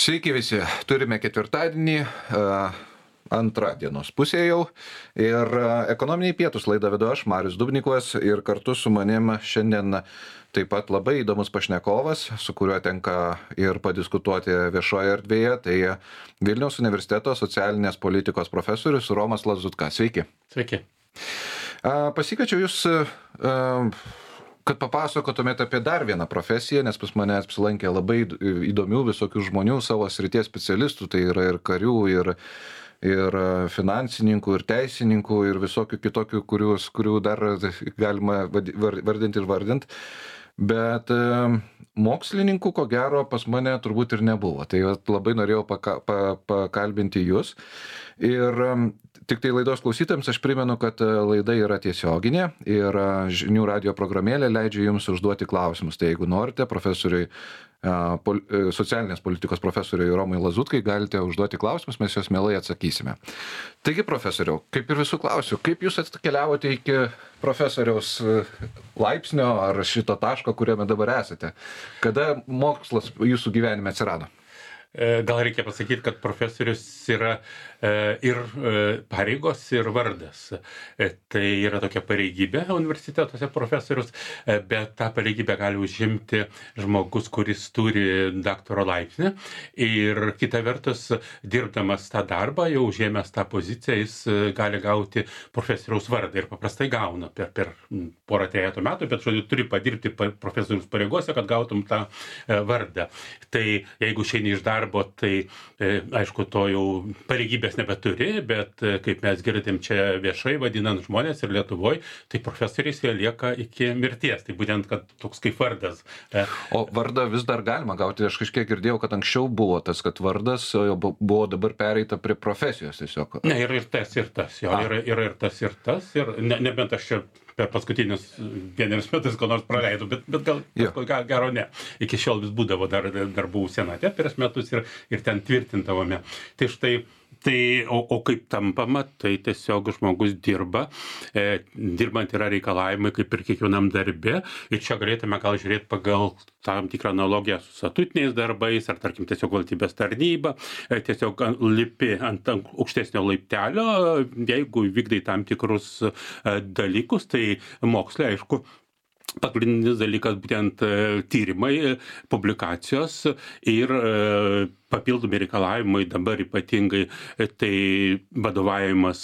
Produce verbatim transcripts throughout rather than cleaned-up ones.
Sveiki visi, turime ketvirtadienį, antrą dienos pusę jau ir ekonominiai pietūs laidą vedu aš, Marius Dubnikovas, ir kartu su manim šiandien taip pat labai įdomus pašnekovas, su kuriuo tenka ir padiskutuoti viešoje erdvėje, tai Vilniaus universiteto socialinės politikos profesorius Romas Lazutka. Sveiki. Sveiki. Pasikviečiau jūs, kad papasakotumėte apie dar vieną profesiją, nes pas mane apsilankė labai įdomių visokių žmonių, savo srities specialistų, tai yra ir karių, ir, ir finansininkų, ir teisininkų, ir visokių kitokių, kurius, kurių dar galima vardinti ir vardinti. Bet mokslininkų, ko gero, pas mane turbūt ir nebuvo. Tai labai norėjau paka, pa, pakalbinti jūs. Ir tik tai laidos klausytojams aš primenu, kad laida yra tiesioginė ir žinių radio programėlė leidžia jums užduoti klausimus. Tai jeigu norite, profesoriui, socialinės politikos profesoriui Romui Lazutkai galite užduoti klausimus, mes juos mielai atsakysime. Taigi, profesoriau, kaip ir visų klausiu, kaip jūs atkeliavote iki profesoriaus laipsnio ar šito taško, kuriame dabar esate? Kada mokslas jūsų gyvenime atsirado? Gal reikia pasakyti, kad profesorius yra ir pareigos, ir vardas. Tai yra tokia pareigybė universitetuose profesorius, bet tą pareigybę gali užimti žmogus, kuris turi daktaro laipsnį. Ir kita vertus, dirbdamas tą darbą, jau užėmęs tą poziciją, jis gali gauti profesoriaus vardą ir paprastai gauna per, per porą trejetų metų, bet žodžiu, turi padirbti profesoriaus pareigose, kad gautum tą vardą. Tai jeigu išeini iš darbo, tai aišku, to jau pareigybės nebeturi, bet kaip mes girdėm čia viešai vadinant žmonės ir Lietuvoje, tai profesoriais jie lieka iki mirties. Tai būtent, kad toks kaip vardas. O vardą vis dar galima gauti. Aš kažkiek girdėjau, kad anksčiau buvo tas, kad vardas buvo dabar pereita prie profesijos tiesiog. Ne, yra ir tas, ir tas. Jo, yra, yra ir tas, ir tas. Ir ne, nebent aš čia per paskutinius vienerius metus ko nors praleidau, bet, bet gal paskui gero ne. Iki šiol vis būdavo dar, dar buvau senate prieš metus ir, ir ten tvirtintavome. Tai štai, tai, o, o kaip tampama, tai tiesiog žmogus dirba, e, dirbant yra reikalavimai kaip ir kiekvienam darbe, ir čia galėtume gal žiūrėti pagal tam tikrą analogiją su statutiniais darbais, ar tarkim tiesiog valstybės tarnyba, e, tiesiog lipi ant aukštesnio laiptelio, jeigu vykdai tam tikrus e, dalykus, tai moksle, aišku, pagrindinis dalykas būtent tyrimai, publikacijos ir papildomi reikalavimai dabar ypatingai tai vadovavimas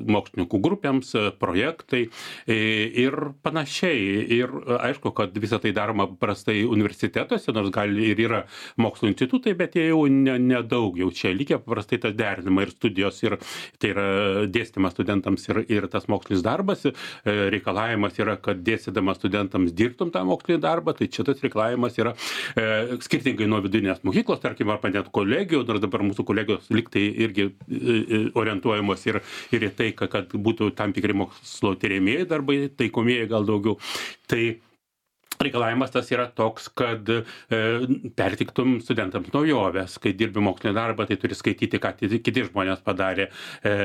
mokslininkų grupėms, projektai ir panašiai. Ir aišku, kad visą tai daroma paprastai universitetuose, nors gali ir yra mokslo institutai, bet jie jau nedaug ne jau čia likę, paprastai tas derinama ir studijos, ir tai yra dėstymas studentams ir, ir tas mokslinis darbas. Reikalavimas yra, kad dėstydamas studentams dirbtum tą mokslinį darbą, tai čia tas reikalavimas yra e, skirtingai nuo vidurinės mokyklos, tarkim, arba net kolegijų, nors dabar mūsų kolegijos liktai irgi orientuojamos ir, ir į tai, kad būtų tam tikri mokslo tiriamieji darbai, taikomieji gal daugiau. Tai reikalavimas tas yra toks, kad e, pertiktum studentams naujoves. Kai dirbi mokslinį darbą, tai turi skaityti, ką kiti žmonės padarė. E,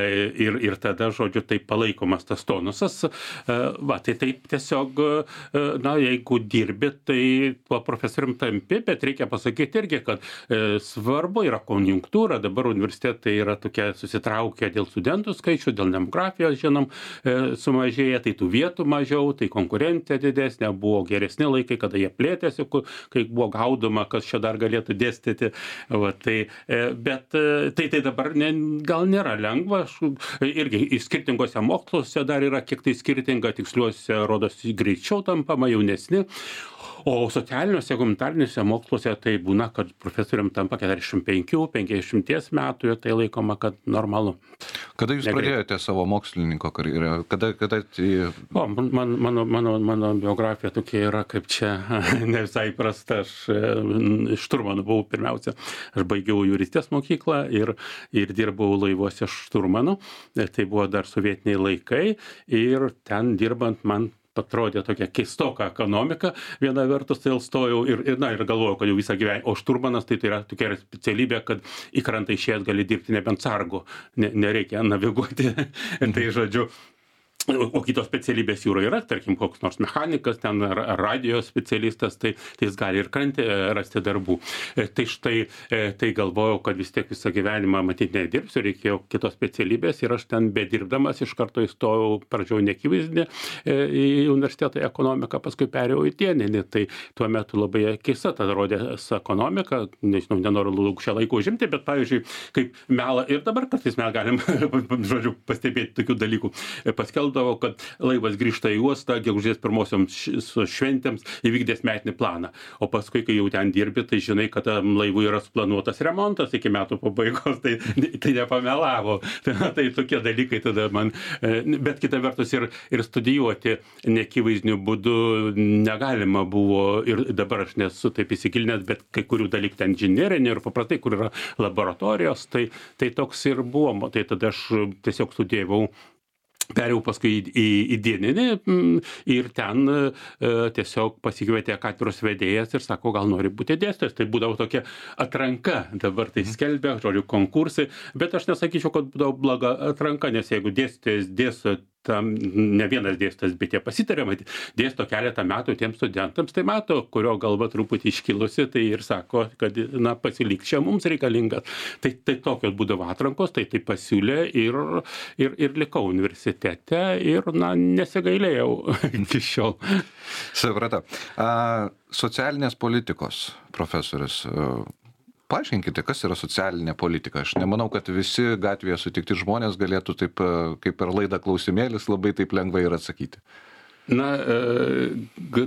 ir, ir tada, žodžiu, taip palaikomas tas tonusas. E, va, tai taip tiesiog, e, na, jeigu dirbi, tai tuo profesorium tampi, bet reikia pasakyti irgi, kad e, svarbu yra konjunktūra. Dabar universitetai yra tokie susitraukę dėl studentų skaičių, dėl demografijos, žinom, e, sumažėja, tai tų vietų mažiau, tai konkurencija didesnė, buvo geresnė laikai, kada jie plėtėsi, kai buvo gaudoma, kas čia dar galėtų dėstyti. Va, tai, bet tai, tai dabar ne, gal nėra lengva. Aš, irgi skirtingose moksluose dar yra kiek tai skirtinga, tiksliuose rodosi greičiau tampama, jaunesni. O socialiniuose, humanitariniuose moksluose tai būna, kad profesorium tampa keturiasdešimt penkių penkiasdešimt metų ir tai laikoma, kad normalu. Kada jūs Negreit. pradėjote savo mokslininko karjerą? Kada, kada... O, man, mano, mano, mano biografija tokia yra, kaip čia ne visai prasta. Aš šturmanu buvau pirmiausia. Aš baigiau juristės mokyklą ir, ir dirbau laivuose šturmanu. Tai buvo dar sovietiniai laikai ir ten dirbant man atrodė tokia keistoka ekonomika. Viena vertus tai stojau ir, ir, na, ir galvojau, kad jau visą gyvenimą. O šturmanas tai, tai yra tokia specialybė, kad į krantą išėjęs gali dirbti nebent sargu. Ne, nereikia naviguoti. Tai žodžiu. o kitos specialybės jūra yra, tarkim, koks nors mechanikas, ten ar, ar radio specialistas, tai, tai jis gali ir krante rasti darbų. Tai štai, tai galvojau, kad vis tiek visą gyvenimą matyti nedirbsiu, reikėjo kitos specialybės ir aš ten bedirbdamas iš karto įstojau pradžiau neakivaizdį į universitetą į ekonomiką, paskui perėjau į dieninį. Tai tuo metu labai keista tada rodės ekonomika, nežinau, nenoriu lauk šią laiką užimti, bet pavyzdžiui, kaip melą, ir dabar kartais mes galim, žodžiu, pastebėti tokių dalykų. Paskelbdavo, kad laivas grįžta į uostą, gegužės pirmosioms šventėms įvykdęs metinį planą. O paskui, kai jau ten dirbi, tai žinai, kad laivui yra suplanuotas remontas iki metų pabaigos, tai, tai nepamelavo. Tai, tai tokie dalykai tada man, bet kita vertus ir, ir studijuoti neakivaizdiniu būdu negalima buvo, ir dabar aš nesu taip įsigilinęs, bet kai kurių dalykų ten inžinerinė ir paprastai, kur yra laboratorijos, tai, tai toks ir buvo. Tai tada aš tiesiog studijavau. Perėjau paskui į, į, į dieninį ir ten e, tiesiog pasikvietė katedros vedėjas ir sako, gal nori būti dėstytojas. Tai būdavo tokia atranka, dabar tai skelbia, žodžiu, konkursai, bet aš nesakyčiau, kad būdavo bloga atranka, nes jeigu dėstytojas dėsto, tam ne vienas dėstytojas, bet jie pasitarė, matyt, dėsto keletą metų tiems studentams, tai mato, kurio galva truputį iškilusi, tai ir sako, kad, na, pasilik čia mums reikalingas. Tai, tai tokios būdavo atrankos, tai tai pasiūlė ir, ir, ir likau universitete ir, na, nesigailėjau iki šiol. Supratau. A, socialinės politikos profesorius. Paaiškinkite, kas yra socialinė politika. Aš nemanau, kad visi gatvėje sutikti žmonės galėtų taip, kaip per laidą klausimėlis, labai taip lengvai ir atsakyti. Na,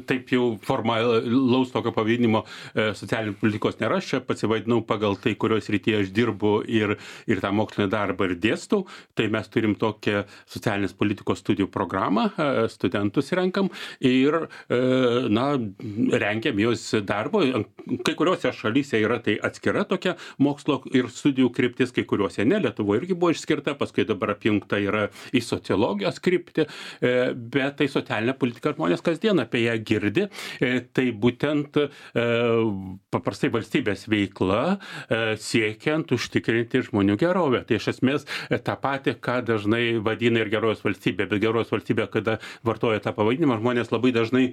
taip jau formalaus tokio pavadinimo socialinės politikos nėra, aš čia pasivadinau pagal tai, kurios srityje aš dirbu ir, ir tą mokslinį darbą ir dėstau, tai mes turim tokią socialinės politikos studijų programą, studentus renkam ir, na, renkiam jos darbo, kai kuriuose šalyse yra tai atskira tokia mokslo ir studijų kryptis, kai kuriuose ne, Lietuvoje irgi buvo išskirta, paskui dabar apjungta yra į sociologijos kryptį, bet tai socialinė politika žmonės kasdien apie ją girdi, tai būtent paprastai valstybės veikla siekiant užtikrinti žmonių gerovę. Tai iš esmės tą patį, ką dažnai vadina ir gerovės valstybė, bet gerovės valstybė, kada vartoja tą pavadinimą, žmonės labai dažnai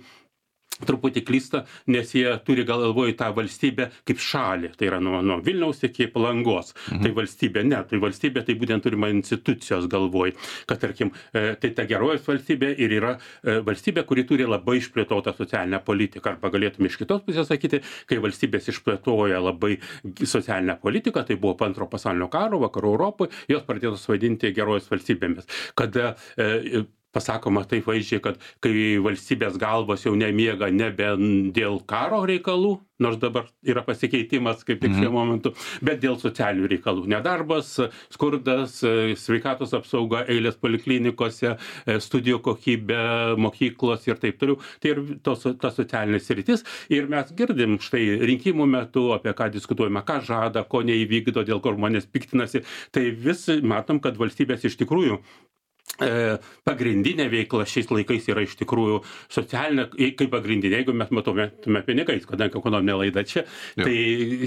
truputį klysta, nes jie turi galvoj tą valstybę kaip šalį, tai yra nuo, nuo Vilniaus iki Palangos. Mhm. Tai valstybė, ne, tai valstybė tai būtent turima institucijos galvoj, kad tarkim, tai ta gerovės valstybė ir yra valstybė, kuri turi labai išplėtotą socialinę politiką, arba galėtume iš kitos pusės sakyti, kai valstybės išplėtoja labai socialinę politiką, tai buvo po antro pasaulinio karo, vakarų Europoje, jos pradėtos vadinti gerovės valstybėmis, kada e, pasakoma taip vaizdžiai, kad kai valstybės galvos jau nemiega nebe dėl karo reikalų, nors dabar yra pasikeitimas kaip tik šiuo momentu, bet dėl socialinių reikalų. Nedarbas, skurdas, sveikatos apsauga, eilės poliklinikose, studijų kokybė, mokyklos ir taip toliau. Tai ir tos, ta socialinė sritis. Ir mes girdim štai rinkimų metu, apie ką diskutuojame, ką žada, ko neįvykdo, dėl ko žmonės piktinasi. Tai vis matom, kad valstybės iš tikrųjų pagrindinė veikla šiais laikais yra iš tikrųjų socialinė, kaip pagrindinė, jeigu mes matome pinigais, kadangi ekonominė laida čia, jau. Tai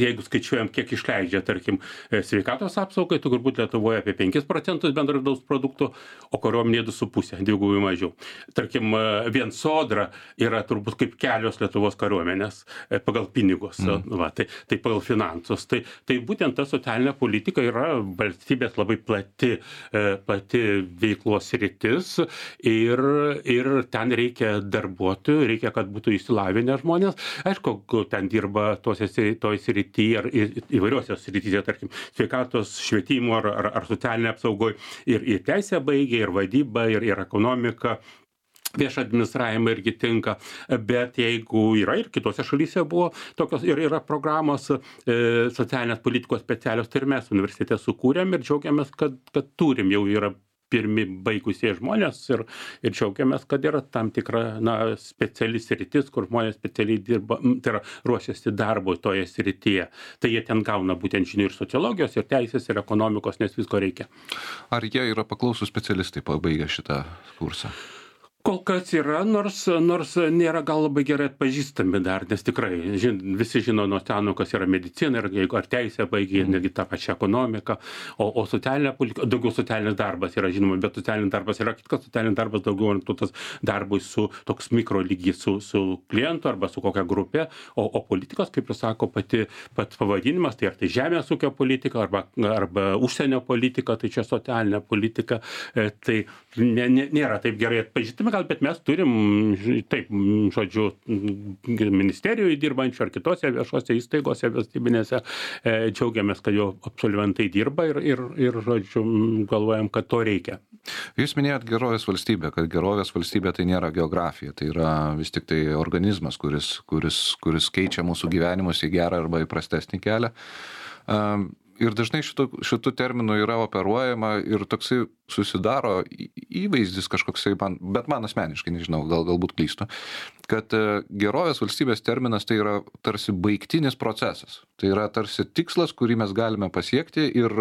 jeigu skaičiuojam, kiek išleidžia, tarkim, sveikatos apsaugai, tai turbūt Lietuvoje apie penkis procentus bendro vidaus produkto, o kariuomenė du su puse, dvigubai mažiau. Tarkim, vien sodra yra turbūt kaip kelios Lietuvos kariuomenės pagal pinigus, mm. va, tai, tai pagal finansus. Tai, tai būtent ta socialinė politika yra valstybės labai plati, plati veiklos sritis ir, ir ten reikia darbuotojų, reikia, kad būtų išsilavinę žmonės. Aišku, ten dirba tose, toj srityje ar įvairiuose srityse, tarkim, sveikatos, švietimo ar, ar, ar socialinė apsaugoje ir, ir teisę baigia, ir vadybą, ir, ir ekonomika. Viešą administravimą irgi tinka, bet jeigu yra ir kitose šalyse buvo tokios ir yra programos e, socialinės politikos specialios, tai ir mes universitete sukūrėm ir džiaugiamės, kad, kad turim jau yra pirmi baigusie žmonės ir, ir džiaugiamės, kad yra tam tikra na, speciali sritis, kur žmonės specialiai dirba, tai yra ruošiasi darbo toje srityje. Tai jie ten gauna būtent žinių ir sociologijos, ir teisės, ir ekonomikos, nes visko reikia. Ar jie yra paklausūs specialistai pabaigę šitą kursą? Kol kas yra, nors, nors nėra gal labai gerai atpažįstami dar, nes tikrai žin, visi žino nuo seno, kas yra medicina, ir jeigu ar teisė baigia, mm. netgi tą pačią ekonomiką, o, o socialinė politika, daugiau socialinis darbas yra žinoma, bet socialinis darbas yra kitkas, socialinis darbas daugiau orientuotas darbui su toks mikro lygis su, su klientu arba su kokia grupė, o, o politikos, kaip ir sako pati pats pavadinimas, tai ar tai žemės ūkio politika, arba, arba užsienio politika, tai čia socialinė politika, e, tai ne, ne, nėra taip gerai atpažįstami. Bet mes turim, taip, žodžiu, ministerijoje dirbančių ar kitose viešose įstaigose valstybinėse, e, džiaugiamės, kad jo absolventai dirba ir, ir, ir, žodžiu, galvojam, kad to reikia. Jūs minėjot gerovės valstybę, kad gerovės valstybė tai nėra geografija, tai yra vis tik tai organizmas, kuris, kuris, kuris keičia mūsų gyvenimus į gerą arba į prastesnį kelią. Um, Ir dažnai šitų, šitų terminų yra operuojama ir toksai susidaro įvaizdis kažkoksai, man, bet man asmeniškai, nežinau, gal, galbūt klystu, kad gerovės valstybės terminas tai yra tarsi baigtinis procesas. Tai yra tarsi tikslas, kurį mes galime pasiekti ir,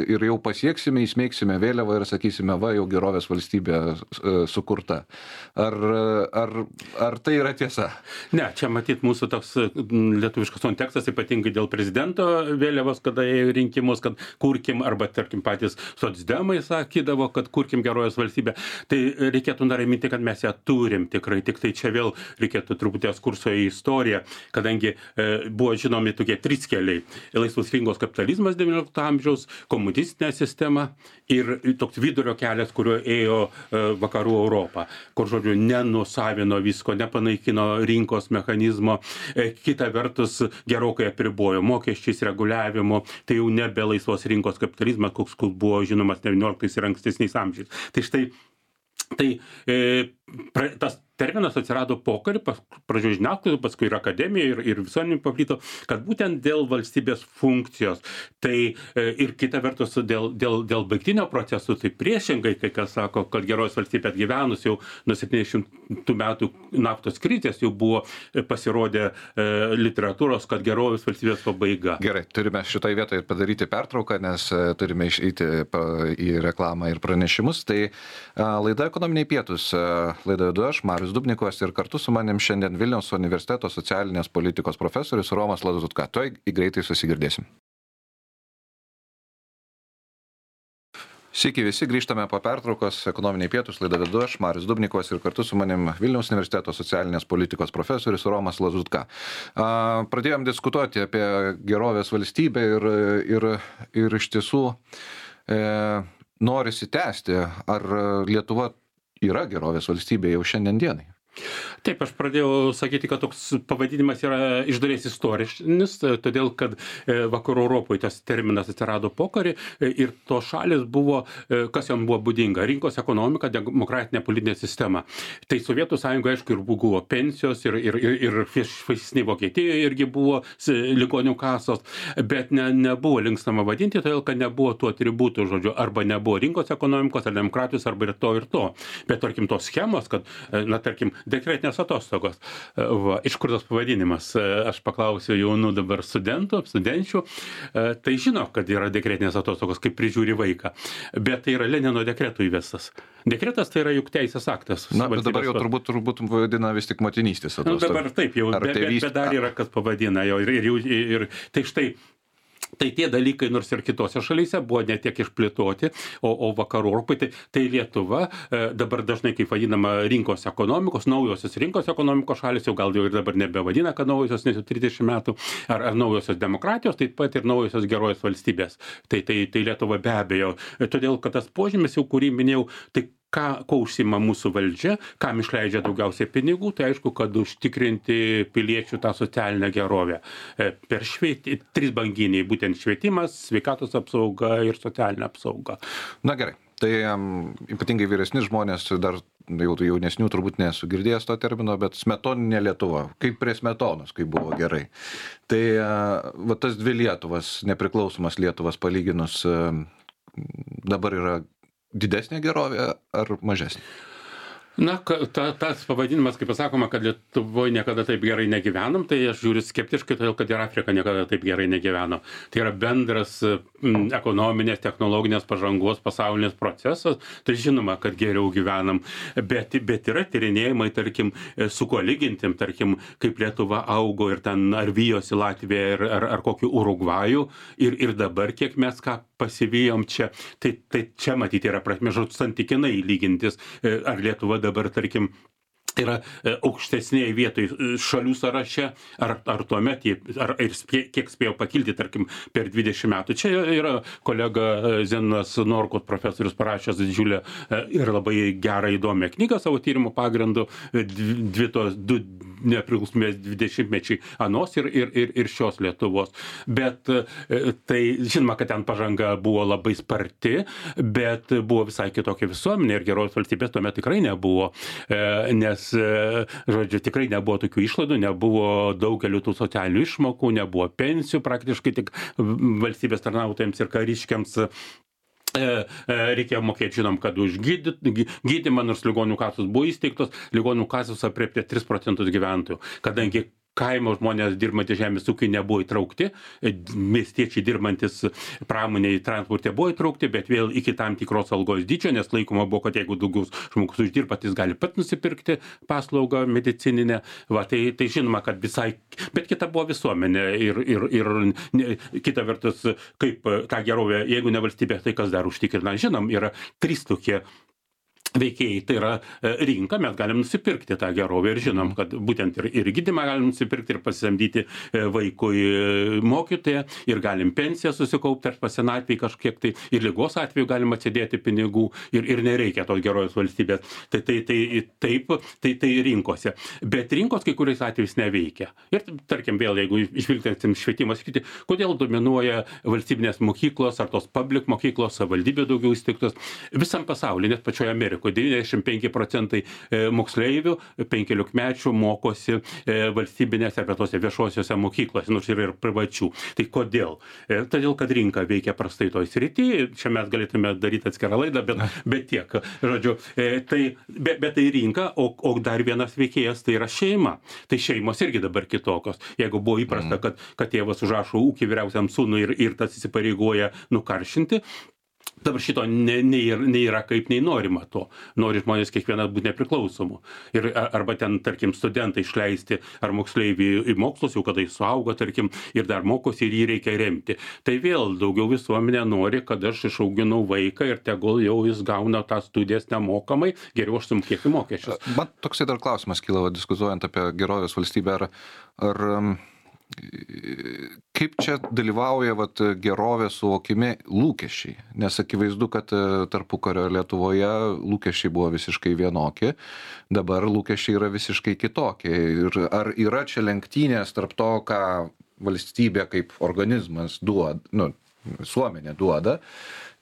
ir jau pasieksime, įsmeigsime vėliavą ir sakysime, va, jau gerovės valstybė sukurta. Ar, ar, ar tai yra tiesa? Ne, čia matyt mūsų toks lietuviškas kontekstas, ypatingai dėl prezidento vėliavos, kada jie rinkimus, kad kurkim, arba tarkim patys socdemai sakydavo, kad kurkim gerovės valstybę. Tai reikėtų nuraminti, kad mes ją turim tikrai, tik tai čia vėl reikėtų truputį ekskurso į istoriją, kadangi e, buvo žinomi tokie trys keliai. Laisvos rinkos kapitalizmas devyniolikto amžiaus, komunistinė sistema ir toks vidurio kelias, kuriuo ėjo e, vakarų Europą, kur, žodžiu, nenusavino visko, nepanaikino rinkos mechanizmo, e, kita vertus gerokai apribojo mokesčiais, reguliavimu, tai jau nebe laisvos rinkos kapitalizmas, koks buvo žinomas devynioliktais ir ankstesniais amžiais. Tai štai, tai e, pra, tas terminas atsirado pokariu, pradžioje žiniasklaidoje, paskui ir akademijoje, ir, ir visuomenėje paplito, kad būtent dėl valstybės funkcijos, tai e, ir kita vertus dėl, dėl, dėl baigtinio procesų, tai priešingai, kai kas sako, kad gerovės valstybė atgyvenus jau nuo septyniasdešimtų metų naftos krizės jau buvo pasirodę e, literatūros, kad gerovės valstybės pabaiga. Gerai, turime šitoje vietoje padaryti pertrauką, nes turime išeiti į reklamą ir pranešimus. Tai a, laida Ekonominiai pietūs, laida vedu aš, Marius Dubnikovas, ir kartu su manim šiandien Vilniaus universiteto socialinės politikos profesorius Romas Lazutka. Tuoj greitai susigirdėsim. Sveiki visi, grįžtame po pertraukos. Ekonominiai pietūs, laidą vedu aš, Marius Dubnikovas, ir kartu su manim Vilniaus universiteto socialinės politikos profesorius Romas Lazutka. Pradėjom diskutuoti apie gerovės valstybę ir, ir, ir iš tiesų e, norisi tęsti, ar Lietuva yra gerovės valstybė jau šiandien dienai. Taip, aš pradėjau sakyti, kad toks pavadinimas yra iš dalies istorinis, todėl kad vakarų Europoje tas terminas atsirado pokarį ir to šalis buvo, kas jom buvo būdinga, rinkos ekonomika, demokratinė politinė sistema. Tai Sovietų sąjungoje, aišku, ir buvo pensijos, ir, ir, ir, ir fašistinėje Vokietijoje irgi buvo ligonių kasos, bet ne, nebuvo linkstama vadinti, todėl kad nebuvo tų atributų, žodžiu, arba nebuvo rinkos ekonomikos, ar demokratijos, arba ir to, ir to. Bet, tarkim, tos schemos, kad, na, tarkim, dekretinės atostogos. Va, iš kur tas pavadinimas? Aš paklausiu jaunų dabar studentų, studenčių, tai žino, kad yra dekretinės atostogos, kaip prižiūri vaiką. Bet tai yra Lenino dekretų įvestas. Dekretas tai yra juk teisės aktas. Na, bet dabar jau turbūt, turbūt vadina vis tik motinystės atostogos. Nu, dabar taip, jau, bet, bet, bet dar yra, kas pavadina. Jau, ir, ir, ir, tai štai, tai tie dalykai, nors ir kitose šalyse, buvo ne tiek išplėtoti, o, o vakarų Europai, tai, tai Lietuva dabar dažnai, kaip vadinama, rinkos ekonomikos, naujosios rinkos ekonomikos šalis, jau gal jau ir dabar nebevadina, kad naujosios, nes jau trisdešimt metų, ar, ar naujosios demokratijos, taip pat ir naujosios gerovės valstybės. Tai, tai, tai Lietuva be abejo. Todėl, kad tas požymis, jau kurį minėjau, tai ką, ko užsima mūsų valdžia, kam išleidžia daugiausiai pinigų, tai aišku, kad užtikrinti piliečių tą socialinę gerovę. Per švietį, trys banginiai, būtent švietimas, sveikatos apsauga ir socialinė apsauga. Na gerai, tai um, ypatingai vyresni žmonės, dar jau jaunesnių turbūt nesu girdėjęs to termino, bet smetoninė Lietuva, kaip prie smetonos, kaip buvo gerai. Tai uh, va, tas dvi Lietuvas, nepriklausomas Lietuvas palyginus, uh, dabar yra didesnė gerovė ar mažesnė? Na, ta, tas pavadinimas, kaip pasakoma, kad Lietuvoje niekada taip gerai negyvenom, tai aš žiūriu skeptiškai, todėl kad ir Afrika niekada taip gerai negyveno. Tai yra bendras ekonominės, technologinės pažangos pasaulinės procesas, tai žinoma, kad geriau gyvenam, bet, bet yra tyrinėjimai, tarkim, su kuo lygintim, tarkim, kaip Lietuva augo ir ten ar vyjosi Latvija ar, ar, ar kokį Urugvajų ir, ir dabar kiek mes ką pasivijom čia, tai, tai čia matyti yra prasme, žodžiu, santykinai lygintis, ar Lietuva dabar, tarkim, yra aukštesnėje vietoje šalių sąraše, ar, ar tuomet, ar ir spė, kiek spėjo pakilti, tarkim, per dvidešimt metų. Čia yra kolega Zenonas Norkut, profesorius, parašęs didžiulę ir labai gerą įdomią knygą savo tyrimo pagrindu, dvi tos, du nepriklausomės dvidešimtmečiai anos ir, ir, ir, ir šios Lietuvos. Bet tai, žinoma, kad ten pažanga buvo labai sparti, bet buvo visai kitokia visuomenė ir gerovės valstybės tuomet tikrai nebuvo, nes žodžiu, tikrai nebuvo tokių išlaidų, nebuvo daugelių tų socialinių išmokų, nebuvo pensijų praktiškai tik valstybės tarnautojams ir kariškiams. Reikėjo mokėti, žinom, kad už gydymą, nors ligonių kasos buvo įsteigtos, ligonių kasos aprėpė tris procentus gyventojų, kadangi kaimo žmonės dirbantys žemės ūkiai nebuvo įtraukti, miestiečiai dirbantis pramonėje transporte buvo įtraukti, bet vėl iki tam tikros algos dydžio, nes laikoma buvo, kad jeigu daugiau žmogus uždirba, jis gali pat nusipirkti paslaugą medicininę. Va, tai, tai žinoma, kad visai, bet kita buvo visuomenė ir, ir, ir ne, kita vertus, kaip tą gerovę, jeigu ne valstybė, tai kas dar užtikrina. Žinom, yra trys tokie veikėjai, tai yra rinka, mes galim nusipirkti tą gerovę ir žinom, kad būtent ir, ir gydymą galim nusipirkti ir pasisamdyti vaikui mokytoją ir galim pensiją susikaupti ar pasenatvėj kažkiek tai ir ligos atveju galim atsidėti pinigų ir, ir nereikia tos gerovės valstybės. Tai, tai, tai, taip, tai, tai rinkose. Bet rinkos kai kuriais atvejais neveikia. Ir tarkim vėl, jeigu išvilgtėsim švietimas, kodėl dominuoja valstybinės mokyklos ar tos public mokyklos, savivaldybė daugiau įsteigtos visam pasaulyje, net pačioje Amerikoje. devyniasdešimt penki procentai moksleivių penkiolikmečių mokosi valstybinėse arba tose viešosiose mokyklose, nors yra ir privačių. Tai kodėl? Todėl, kad rinka veikia prastai toj srity, čia mes galėtume daryti atskirą laidą, bet, bet tiek. Žodžiu, tai, bet, bet tai rinka, o, o dar vienas veikėjas tai yra šeima. Tai šeimos irgi dabar kitokios. Jeigu buvo įprasta, kad, kad tėvas užrašo ūkį vyriausiam sūnui ir, ir tas įsipareigoja nukaršinti, dabar šito nei, nei, nei yra kaip, nei norima to. Nori žmonės kiekvienas būti nepriklausomų. Ir, arba ten, tarkim, studentai išleisti ar moksleivį į mokslus, jau kada jis suaugo, tarkim, ir dar mokosi ir jį reikia remti. Tai vėl daugiau visuomenė nori, kad aš išauginau vaiką ir tegul jau jis gauna tą studijas nemokamai, geriau aš sumokėsiu mokesčius. Man toksai dar klausimas kyla, diskutuojant apie gerovės valstybę, ar... ar kaip čia dalyvauja vat, gerovės suvokime lūkesčiai, nes akivaizdu, kad tarpukario Lietuvoje lūkesčiai buvo visiškai vienokie, dabar lūkesčiai yra visiškai kitokie. Ir ar yra čia lenktynės tarp to, ką valstybė kaip organizmas duoda, nu, visuomenė duoda,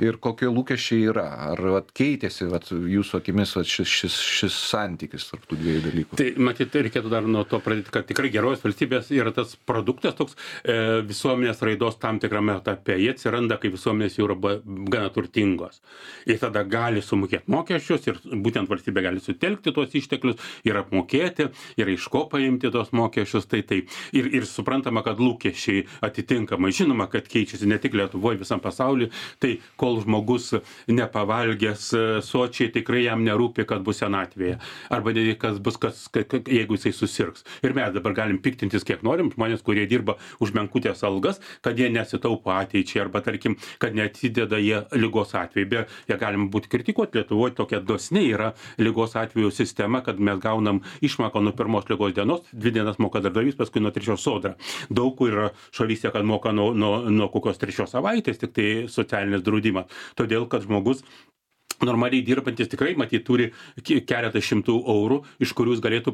ir kokie lūkesčiai yra? Ar vat, keitėsi vat, jūsų akimis vat, šis, šis, šis santykis tarp tų dviejų dalykų? Tai matyt, reikėtų dar nuo to pradėti, kad tikrai gerovės valstybės yra tas produktas toks e, visuomenės raidos tam tikrame etape. Jie atsiranda, kai visuomenės jau yra gana turtingos. Ir tada gali sumokėti mokesčius ir būtent valstybė gali sutelkti tuos išteklius ir apmokėti, ir iš ko paimti tos mokesčius. Tai, tai. Ir, ir suprantama, kad lūkesčiai atitinkamai. Žinoma, kad keičiasi ne tik Lietuvoje, visam pasaulyje. Tai kol žmogus nepavalgęs sočiai, tikrai jam nerūpi, kad bus senatvėje. Arba kas bus, kas, jeigu jisai susirgs. Ir mes dabar galim piktintis, kiek norim, žmonės, kurie dirba už menkutės algas, kad jie nesitaupo ateičiai, arba tarkim, kad neatsideda jie ligos atveju. Be, jie galim būti kritikuoti. Lietuvoje tokia dosniai yra ligos atveju sistema, kad mes gaunam išmoką nuo pirmos ligos dienos, dvi dienas moka darbdavys, paskui nuo trečios sodra. Daug kur yra šalyse, kad moka nuo, nuo, nuo kokios trečios savaitės, tik tai socialinis draudimas. Todėl, kad žmogus normaliai dirbantis tikrai, matyt, turi keletą šimtų eurų, iš kurių jis galėtų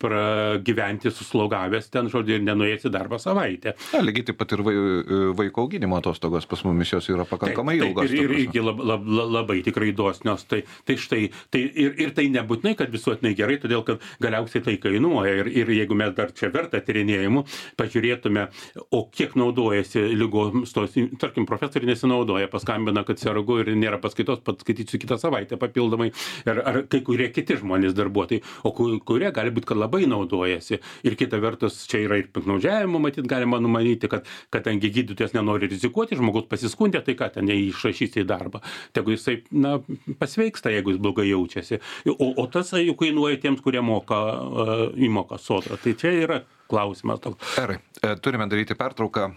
pragyventi suslaugavęs ten, žodžiu, ir nenuėjęs į darbą savaitę. Ja, lygiai taip pat ir vaiko auginimo atostogos pas mumis jos yra pakankamai tai, ilgos. Ir, ir, ir lab, lab, labai tikrai dosnios. Tai, tai štai, tai ir, ir tai nebūtinai, kad visuotinai gerai, todėl, kad galiausiai tai kainuoja. Ir, ir jeigu mes dar čia verta tyrinėjimų, pažiūrėtume, o kiek naudojasi lygoms tos, tarkim, profesoriai nesinaudoja, paskambina, kad sergu ir nėra paskaitos, paskaitysiu dirbsiu kitą savaitę papildomai, ar, ar kai kurie kiti žmonės darbuotojai, o kurie gali būti, kad labai naudojasi. Ir kita vertus, čia yra ir piktnaudžiavimo, matyt, galima numanyti, kad kadangi gydytojas nenori rizikuoti, žmogus pasiskundė, tai ką ten neišrašys į darbą. Tegu jisai, na, pasveiksta, jeigu jis blogai jaučiasi. O, o tas jau kainuoja tiems, kurie moka uh, įmoką sodrą. Tai čia yra klausimas toks. Gerai, turime daryti pertrauką.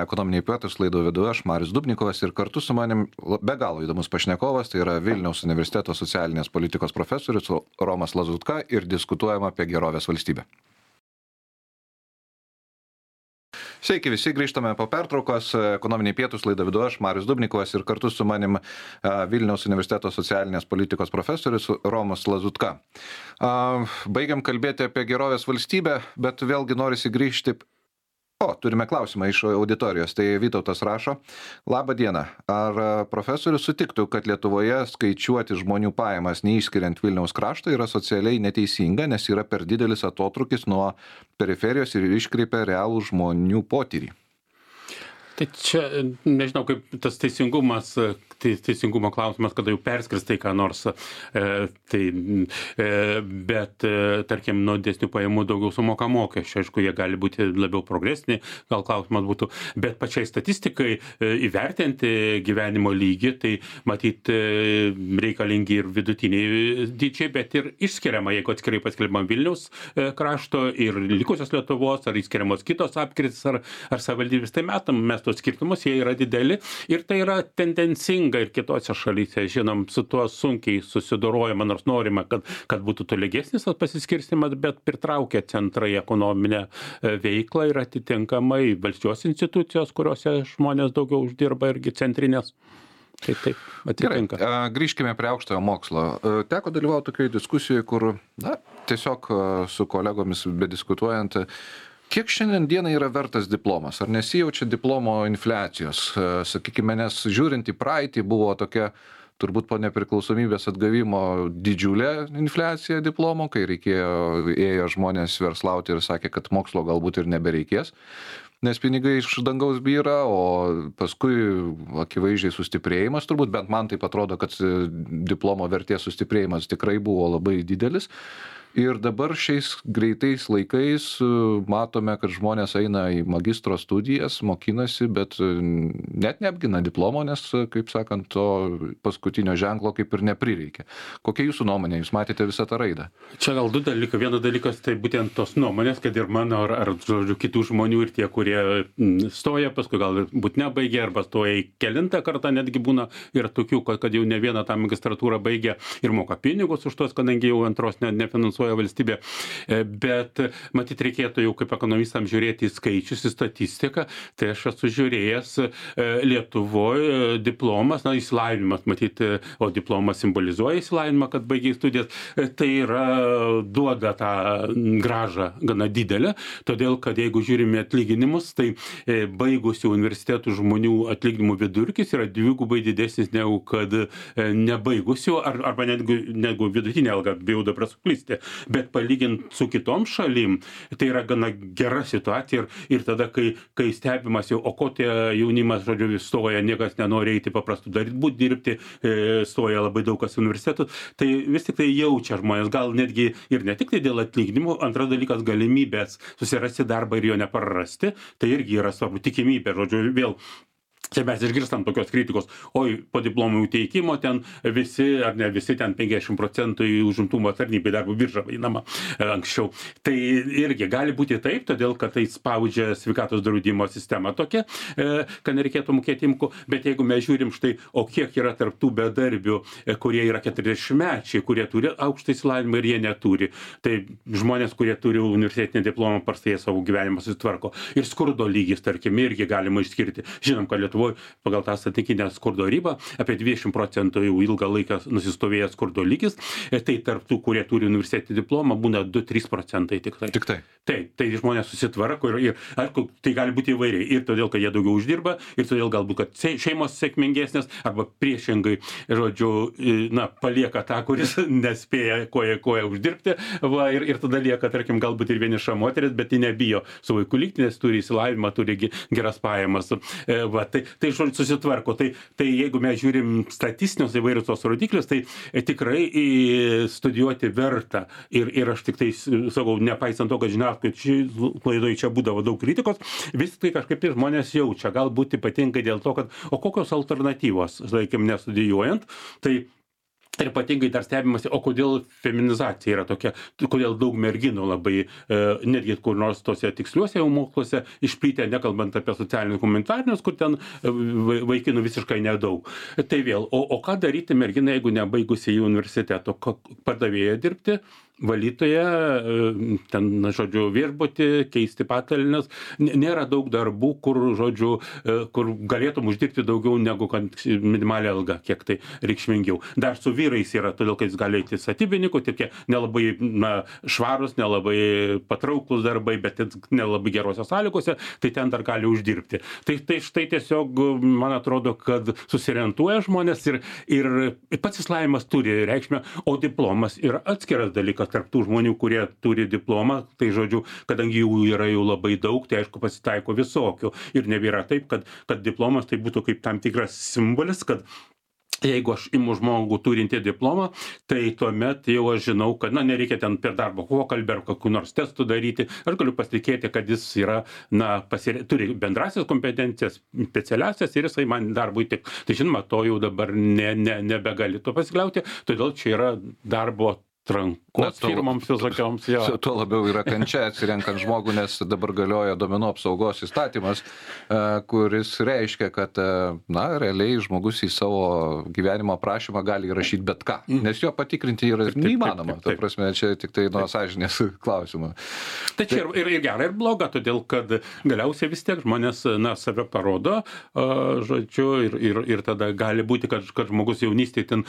Ekonominiai pietūs laidą vedu aš, Marius Dubnikovas, ir kartu su manim be galo įdomus pašnekovas, tai yra Vilniaus universiteto socialinės politikos profesorius Romas Lazutka, ir diskutuojama apie gerovės valstybę. Sveiki visi, grįžtame po pertraukos. Ekonominiai pietūs laidą vedu aš, Marius Dubnikovas, ir kartu su manim Vilniaus universiteto socialinės politikos profesorius Romas Lazutka. Baigiam kalbėti apie gerovės valstybę, bet vėlgi norisi grįžti. O, turime klausimą iš auditorijos. Tai Vytautas rašo: Labą dieną. Ar profesorius sutiktų, kad Lietuvoje skaičiuoti žmonių pajamas neišskiriant Vilniaus krašto yra socialiai neteisinga, nes yra per didelis atotrūkis nuo periferijos ir iškreipia realų žmonių potyrį? Tai čia, nežinau, kaip tas teisingumas, tai teisingumo klausimas, kada jau perskristai ką nors, e, tai, e, bet, e, tarkim, nuo didesnių pajamų daugiau sumoka mokesčių, aišku, jie gali būti labiau progresiniai, gal klausimas būtų, bet pačiai statistikai e, įvertinti gyvenimo lygį, tai matyt e, reikalingi ir vidutiniai dydžiai, bet ir išskiriama, jeigu atskirai paskelbiama Vilniaus e, krašto ir likusios Lietuvos, ar išskiriamos kitos apskritis, ar, ar savivaldybės, tai metam mes tos skirtumus, jie yra dideli ir tai yra tendencinga ir kitose šalyse. Žinom, su tuo sunkiai susidorojama, nors norima, kad, kad būtų tolygesnis tas pasiskirstimas, bet pritraukia centrai ekonominę veiklą ir atitinkamai valdžios institucijos, kuriuose žmonės daugiau uždirba, irgi centrinės. Taip, taip, atitinka. Gerai, grįžkime prie aukštojo mokslo. Teko dalyvauti tokioje diskusijoje, kur, na, tiesiog su kolegomis bediskutuojant, kiek šiandien dienai yra vertas diplomas? Ar nesijaučia diplomo infliacijos? Sakykime, nes žiūrint į praeitį buvo tokia, turbūt po nepriklausomybės atgavimo, didžiulė infliacija diplomo, kai reikėjo, ėjo žmonės verslauti ir sakė, kad mokslo galbūt ir nebereikės, nes pinigai iš dangaus byra, o paskui akivaizdžiai sustiprėjimas, turbūt bent man taip atrodo, kad diplomo vertės sustiprėjimas tikrai buvo labai didelis. Ir dabar šiais greitais laikais matome, kad žmonės eina į magistro studijas, mokinasi, bet net neapgina diplomo, nes, kaip sakant, to paskutinio ženklo kaip ir neprireikia. Kokia jūsų nuomonė? Jūs matėte visą tą raidą? Čia gal du dalykai. Vienas dalykas tai būtent tos nuomonės, kad ir mano, ar, ar žodžiu, kitų žmonių ir tie, kurie stoja, paskui gal būt nebaigia, arba stoja į kelintą kartą, netgi būna ir tokių, kad, kad jau ne vieną tą magistratūrą baigia ir moka pinigus už tos, kadangi jau antros ne, nefinansuoja valstybė, bet matyt reikėtų jau kaip ekonomistams žiūrėti į skaičius, į statistiką. Tai aš esu žiūrėjęs Lietuvoje diplomas, na, įsilavinimas, matyt, o diplomas simbolizuoja įsilavinimą, kad baigiai studijas, tai yra duoda tą grąžą gana didelę, todėl, kad jeigu žiūrime atlyginimus, tai baigusių universitetų žmonių atlyginimų vidurkis yra dvigubai didesnis negu kad nebaigusių, ar, arba netgi negu vidutinė alga, bijau dabar suklysti. Bet palygint su kitom šalim, tai yra gana gera situacija ir, ir tada, kai, kai stebimas jau, o ko tie jaunimas, žodžiu, stoja, niekas nenori eiti paprastų daryti, būt dirbti, stoja labai daug kas universitetus, tai vis tik tai jaučia žmonės, gal netgi ir ne tik tai dėl atlyginimų, antras dalykas galimybės susirasti darbą ir jo neprarasti, tai irgi yra svarbu, tikimybė, žodžiu, vėl. Čia mes išgirstam tokios kritikos, oi, po diplomų teikimo ten visi, ar ne visi, ten penkiasdešimt procentų į užimtumo tarnybai darbo biržą vadinama anksčiau. Tai irgi gali būti taip, todėl, kad tai spaudžia sveikatos draudimo sistema tokia, kad nereikėtų mokėti imkų, bet jeigu mes žiūrim štai, o kiek yra tarp tų bedarbių, kurie yra keturiasdešimtmečiai, kurie turi aukštą išsilavinimą ir jie neturi, tai žmonės, kurie turi universitetinį diplomą, parstai savo gyvenimą susitvarko. Ir skurdo lygis, tarkim, irgi galima išskirti. Žinom, kad Lietuvoje pagal tą statikinę skurdo ribą apie dvidešimt procentų jau ilgą laiką nusistovėjęs skurdo lygis, tai tarp tų, kurie turi universitetinį diplomą, būna du trys procentai tik tai. Tik tai. Taip, tai žmonės susitvarko ir, ir ar, tai gali būti įvairiai. Ir todėl, kad jie daugiau uždirba, ir todėl galbūt, kad šeimos sėkmingesnės, arba priešingai, žodžiu, na, palieka tą, kuris nespėja koja koja uždirbti, va, ir, ir tada lieka, tarkim, galbūt ir vieniša moteris, bet ji nebijo su vaiku likti, nes turi įsilavinimą, turi geras pajamas. Va, tai, tai žodžiu susitvarko. Tai, tai jeigu mes žiūrim statistinius įvairius tos rodiklius, tai tikrai studijuoti verta. Ir, ir aš tik tai sakau, nepaisant to, kad žiniasklaidoj klaidoj čia būdavo daug kritikos, vis tai kažkaip tai žmonės jaučia, galbūt ypatingai dėl to, kad o kokios alternatyvos, sakykime, nestudijuojant, tai ir ypatingai dar stebimasi, o kodėl feminizacija yra tokia, kodėl daug merginų labai, e, netgi kur nors tose tiksliuose jau moksluose išplytę, nekalbant apie socialinius humanitarinius, kur ten vaikinų visiškai nedaug. Tai vėl, o, o ką daryti merginai, jeigu nebaigusi į universiteto, padavėja dirbti? Valytoje, ten, žodžiu, viešbutį, keisti patalines. Nėra daug darbų, kur, žodžiu, kur galėtum uždirbti daugiau negu minimalią algą, kiek tai reikšmingiau. Dar su vyrais yra, todėl, kad jis gali eiti statybininkų, tik nelabai na, švarus, nelabai patrauklus darbai, bet nelabai gerose sąlygose, tai ten dar gali uždirbti. Tai, tai štai tiesiog, man atrodo, kad susiorientuoja žmonės ir, ir pats išsilavinimas turi reikšmę, o diplomas yra atskiras dalykas tarp tų žmonių, kurie turi diplomą, tai žodžiu, kadangi jų yra jau labai daug, tai aišku pasitaiko visokių. Ir nebėra taip, kad, kad diplomas tai būtų kaip tam tikras simbolis, kad jeigu aš imu žmogų turintį diplomą, tai tuomet jau aš žinau, kad na, nereikia ten per darbo pokalbį ar kokių nors testų daryti. Aš galiu pasitikėti, kad jis yra, na, pasire... turi bendrasias kompetencijas, specialiasias ir jisai man darbui tik. Tai žinoma, to jau dabar ne, ne, nebegali to pasikliauti, todėl čia yra darbo trankos firmoms visokioms. Tuo labiau yra kančia atsirenkant žmogų, nes dabar galioja duomenų apsaugos įstatymas, kuris reiškia, kad na, realiai žmogus į savo gyvenimo aprašymą gali įrašyti bet ką, nes jo patikrinti yra neįmanoma. Ta prasme, čia tik tai nuo sąžinės klausimo. Tai čia ir, ir gera, ir bloga, todėl kad galiausiai vis tiek žmonės na, save parodo, žodžiu, ir, ir, ir tada gali būti, kad, kad žmogus jaunystėje ten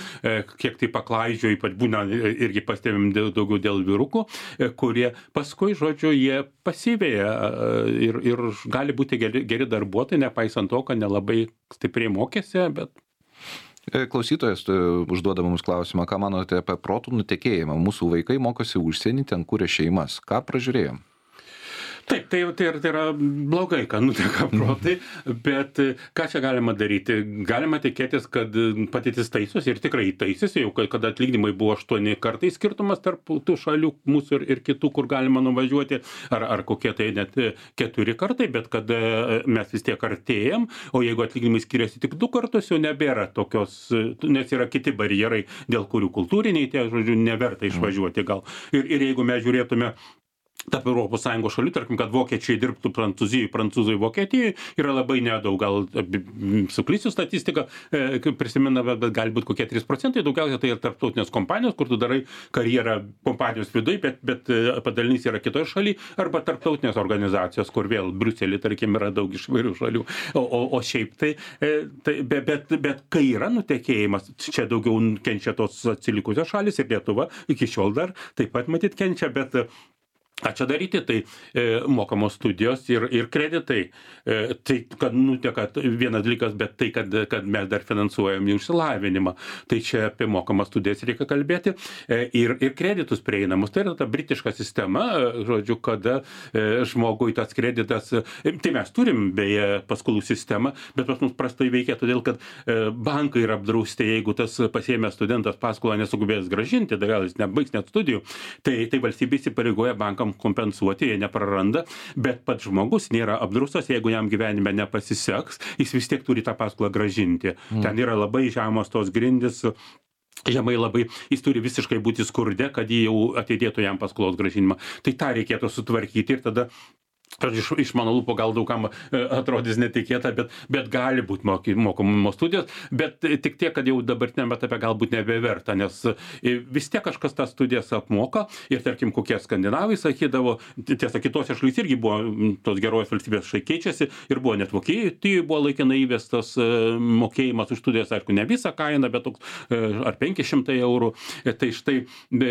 kiek tai paklaidžio, ypač būna irgi pastebim daugiau dėl vyrukų, kurie paskui, žodžiu, jie pasivėja ir, ir gali būti geri, geri darbuotojai, nepaisant to, kad nelabai stipriai mokėsi, bet... Klausytojas užduoda mums klausimą, ką manote apie protų nutekėjimą? Mūsų vaikai mokosi užsienį, ten kuria šeimas. Ką pražiūrėjom? Taip, tai, tai, tai yra blogai, kad nuteka protai, bet ką čia galima daryti? Galima tikėtis, kad patytis taisosi ir tikrai taisosi, jau kada atlyginimai buvo aštuoni kartai skirtumas tarp tų šalių, mūsų ir, ir kitų, kur galima nuvažiuoti, ar, ar kokie tai net keturi kartai, bet kad mes vis tiek artėjam, o jeigu atlyginimai skiriasi tik du kartus, jau nebėra tokios, nes yra kiti barjerai, dėl kurių kultūriniai tie, žodžiu, neverta išvažiuoti gal. Ir, ir jeigu mes žiūrėtume tarp Europos Sąjungos šalių, tarkim, kad vokiečiai dirbtų Prancūzijai, prancūzai Vokietijai, yra labai nedaug, gal suklysiu statistiką, e, prisimena, bet, bet gali būti kokie trys procentai, daugiausia tai yra tarptautinės kompanijos, kur tu darai karjerą kompanijos viduje, bet, bet padalinys yra kitoje šalyje, arba tarptautinės organizacijos, kur vėl Briuselį, tarkim, yra daug iš vairių šalių. O, o, o šiaip tai, e, tai bet, bet, bet kai yra nutekėjimas, čia daugiau kenčia tos atsilikusios šalis ir Lietuva iki šiol dar taip pat matyt kenčia, bet ką čia daryti, tai e, mokamos studijos ir, ir kreditai. E, tai, kad nuteka vienas dalykas, bet tai, kad, kad mes dar finansuojam jų išsilavinimą. Tai čia apie mokamas studijas reikia kalbėti. E, ir, ir kreditus prieinamus. Tai yra ta britiška sistema, žodžiu, kada e, žmogui tas kreditas, e, tai mes turim beje paskolų sistemą, bet pas mus prastai veikia, todėl kad e, bankai yra apdrausti, jeigu tas pasiėmęs studentas paskolą nesugebės grąžinti, dar gal jis nebaigs net studijų, tai, tai valstybė įsipareigoja bankam kompensuoti, jie nepraranda, bet pats žmogus nėra apdraustas, jeigu jam gyvenime nepasiseks, jis vis tiek turi tą paskolą grąžinti. Mm. Ten yra labai žemos tos grindys, žemai labai, jis turi visiškai būti skurde, kad jį jau atidėtų jam paskolos grąžinimą. Tai tą reikėtų sutvarkyti ir tada iš, iš mano lūpo gal daugam atrodys netikėta, bet, bet gali būti mokomos studijos, bet tik tiek, kad jau dabartiniame etape galbūt nebeverta, nes vis tiek kažkas tas studijas apmoka ir tarkim, kokie skandinavai sakydavo, tiesa, kitose šalyse irgi buvo tos gerovės valstybės šai keičiasi ir buvo net Vokietijoje buvo laikinai įvestas mokėjimas už studijas, aišku, ne visą kainą, bet toks ar penki šimtai eurų. Tai štai,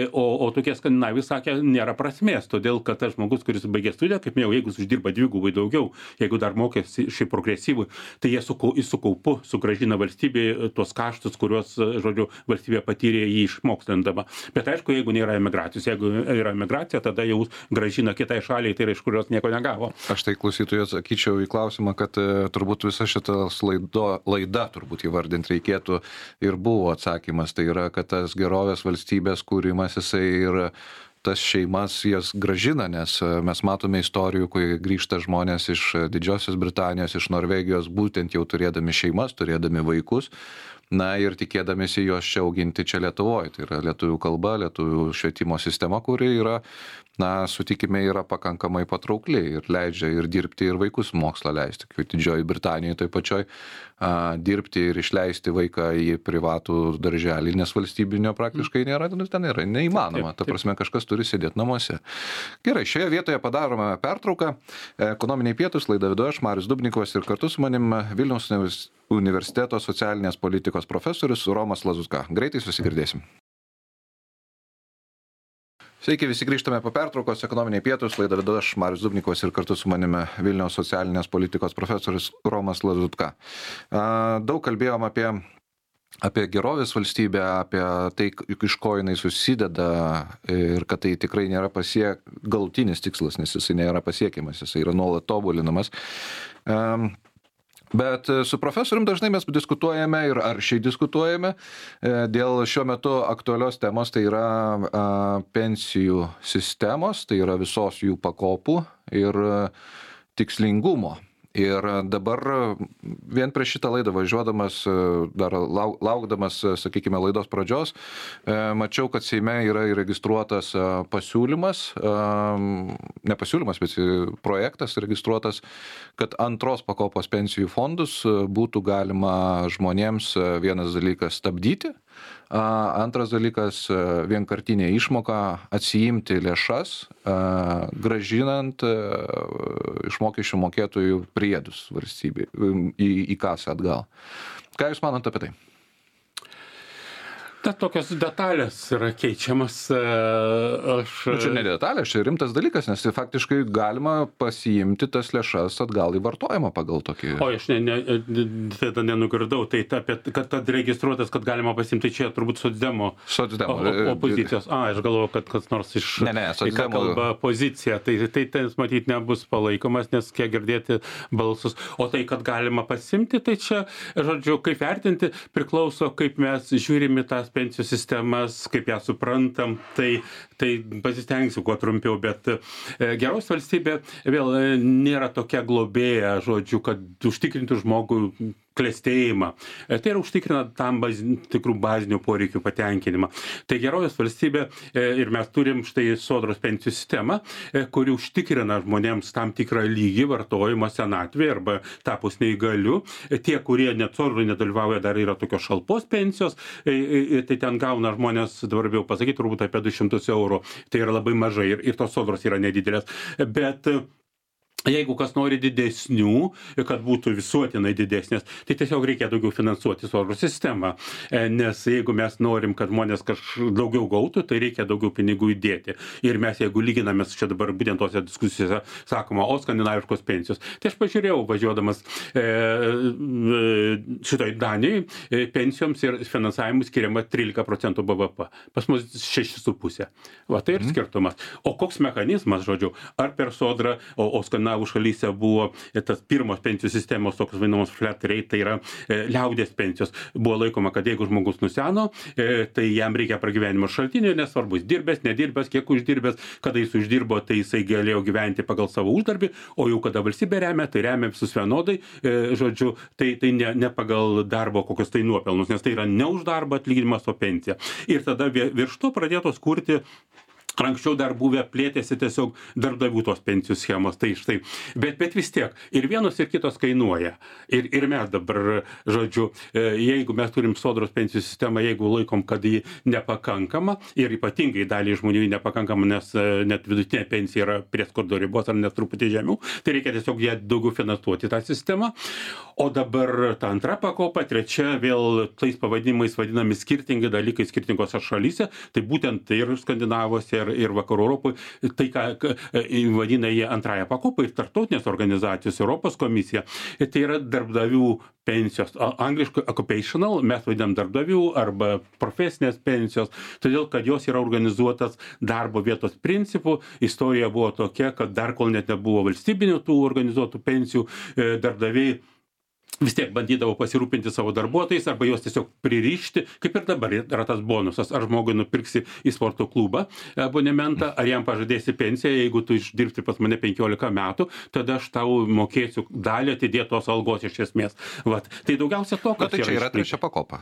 o, o tokie skandinavai sakė, nėra prasmės, todėl kad tas žmogus, kuris baigė studiją, kaip minėjau, jeigu žmogus uždirba dvigubai daugiau, jeigu dar mokėsi šiai progresyvui, tai jie su, su kaupu sugražina valstybėje tuos kaštus, kuriuos, žodžiu, valstybė patyrė jį išmokslindama. Bet aišku, jeigu nėra emigracijos, jeigu yra emigracija, tada jau gražina kitai šaliai, tai yra iš kurios nieko negavo. Aš tai klausytojui atsakyčiau į klausimą, kad turbūt visa šita laido, laida, turbūt įvardinti reikėtų, ir buvo atsakymas. Tai yra, kad tas gerovės valstybės kūrimas, jisai ir tas šeimas jas gražina, nes mes matome istorijų, kai grįžta žmonės iš Didžiosios Britanijos, iš Norvegijos, būtent jau turėdami šeimas, turėdami vaikus, na ir tikėdamėsi juos čia auginti čia Lietuvoje. Tai yra lietuvių kalba, lietuvių švietimo sistema, kuri yra, na, sutikime, yra pakankamai patraukli ir leidžia ir dirbti, ir vaikus mokslą leisti. Kaip Didžioji Britanijoje tai pačioj a, dirbti ir išleisti vaiką į privatų darželį, nes valstybinio praktiškai nėra, ten yra neįmanoma. Ta prasme, kažkas turi sėdėti namuose. Gerai, šioje vietoje padarome pertrauką. Ekonominiai pietūs, laidą vedu aš, Marius Dubnikovas, ir kartu su manim Vilniaus universiteto socialinės politikos profesorius Romas Lazutka. Greitai susigirdėsim. Sveiki, visi grįžtame po pertraukos, ekonominiai pietūs, laidą vedu aš, Marius Dubnikovas, ir kartu su manimi Vilniaus socialinės politikos profesorius Romas Lazutka. Daug kalbėjom apie, apie gerovės valstybę, apie tai, iš ko jinai susideda ir kad tai tikrai nėra pasiek, galutinis tikslas, nes jisai nėra pasiekiamas, jisai yra nuolat tobulinamas. Bet su profesorium dažnai mes diskutuojame ir aršiai diskutuojame dėl šiuo metu aktualios temos, tai yra pensijų sistemos, tai yra visos jų pakopų ir tikslingumo. Ir dabar vien prieš šitą laidą važiuodamas, dar laukdamas, sakykime, laidos pradžios, mačiau, kad Seime yra įregistruotas pasiūlymas, ne pasiūlymas, bet projektas registruotas, kad antros pakopos pensijų fondus būtų galima žmonėms vienas dalykas stabdyti, antras dalykas vienkartinė išmoka atsiimti lėšas, gražinant iš mokesčių mokėtojų priedus valstybei į, į kasą atgal. Ką Jūs manot apie tai? Ta tokios detalės yra keičiamas. Aš... Nu, čia ne detalės, čia rimtas dalykas, nes faktiškai galima pasiimti tas lėšas atgal į vartojimą pagal tokį... O, aš ne, ne, tada nenugirdau, tai apie, kad, kad registruotas, kad galima pasiimti, čia turbūt socdemo, socdemo. opozicijos. A, aš galvoju, kad kas nors iš... Ne, ne, socdemo. Kalba pozicija, tai tai ten, matyt, nebus palaikomas, nes kiek girdėti balsus. O tai, kad galima pasiimti, tai čia, žodžiu, kaip vertinti, priklauso, kaip mes žiūrime tas pensijų sistemas, kaip ją suprantam, tai, tai pasistengsiu kuo trumpiau, bet e, geros valstybė vėl e, nėra tokia globėja, žodžiu, kad užtikrintų žmogų klestėjimą. E, tai yra užtikrina tam baz, tikrų bazinių poreikių patenkinimą. Tai gerovės valstybė e, ir mes turim štai sodros pensijų sistemą, e, kuri užtikrina žmonėms tam tikrą lygį vartojimo senatvėje arba tapus neįgaliu. E, tie, kurie net sodroje nedalyvauja, dar yra tokios šalpos pensijos, e, e, tai ten gauna žmonės, dabar bijau pasakyti, turbūt apie du šimtus eurų. Tai yra labai mažai ir, ir tos sodros yra nedidelės. Bet jeigu kas nori didesnių, kad būtų visuotinai didesnės, tai tiesiog reikia daugiau finansuoti sodros sistemą. Nes jeigu mes norim, kad žmonės kažkaip daugiau gautų, tai reikia daugiau pinigų įdėti. Ir mes, jeigu lyginame čia dabar būtent tose diskusijose, sakoma, o skandinaviškos pensijos. Tai aš pažiūrėjau, važiuodamas e, šitoj Danijai, e, pensijoms ir finansavimui skiriama trylika procentų B V P. Pas mus šeši su pusė. Va, tai ir skirtumas. O koks mechanizmas, žodžiu, ar per sodrą, o, o skandinaviškos šalyse buvo tas pirmos pensijų sistemos, tokios vadinamos flat rate, tai yra e, liaudės pensijos. Buvo laikoma, kad jeigu žmogus nuseno, e, tai jam reikia pragyvenimo šaltinio, nesvarbu, jis dirbęs, nedirbęs, kiek uždirbęs, kada jis uždirbo, tai jisai galėjo gyventi pagal savo uždarbį, o jau kada valstybė remia, tai remia visus vienodai, e, žodžiu, tai, tai ne, ne pagal darbo kokios tai nuopelnus, nes tai yra ne už darbą atlyginimas, o pensija. Ir tada virš to pradėtos kurti. Anksčiau dar buvę plėtėsi tiesiog darbdavių tos pensijų schemos, tai štai, bet, bet vis tiek, ir vienos ir kitos kainuoja. Ir, ir mes dabar, žodžiu, jeigu mes turim sodros pensijų sistemą, jeigu laikom, kad ji nepakankama, ir ypatingai daliai žmonių nepakankama, nes net vidutinė pensija yra prie skurdo ribos ar net truputį žemiau, tai reikia tiesiog ją daugiau finansuoti tą sistemą. O dabar ta antra pakopa, trečia, vėl tais pavadinimais vadinami skirtingi dalykai skirtingose šalyse, tai būtent ir skandinavose, ir, ir, ir vakarų Europoje, tai ką vadina jie antrąją pakopą ir tarptautinės organizacijos, Europos komisija, tai yra darbdavių pensijos, angliškai occupational, mes vadinam darbdavių arba profesinės pensijos, todėl kad jos yra organizuotas darbo vietos principų. Istorija buvo tokia, kad dar kol net nebuvo valstybinių tų organizuotų pensijų, darbdaviai vis tiek bandydavo pasirūpinti savo darbuotojais arba juos tiesiog pririšti, kaip ir dabar yra tas bonusas, ar žmogui nupirksi į sporto klubą abonementą, ar jam pažadėsi pensiją, jeigu tu išdirbti pas mane penkiolika metų, tada aš tau mokėsiu dalį atidėtos algos iš esmės. Vat. Tai daugiausia to, kad... Na, tai čia yra trečia pakopa.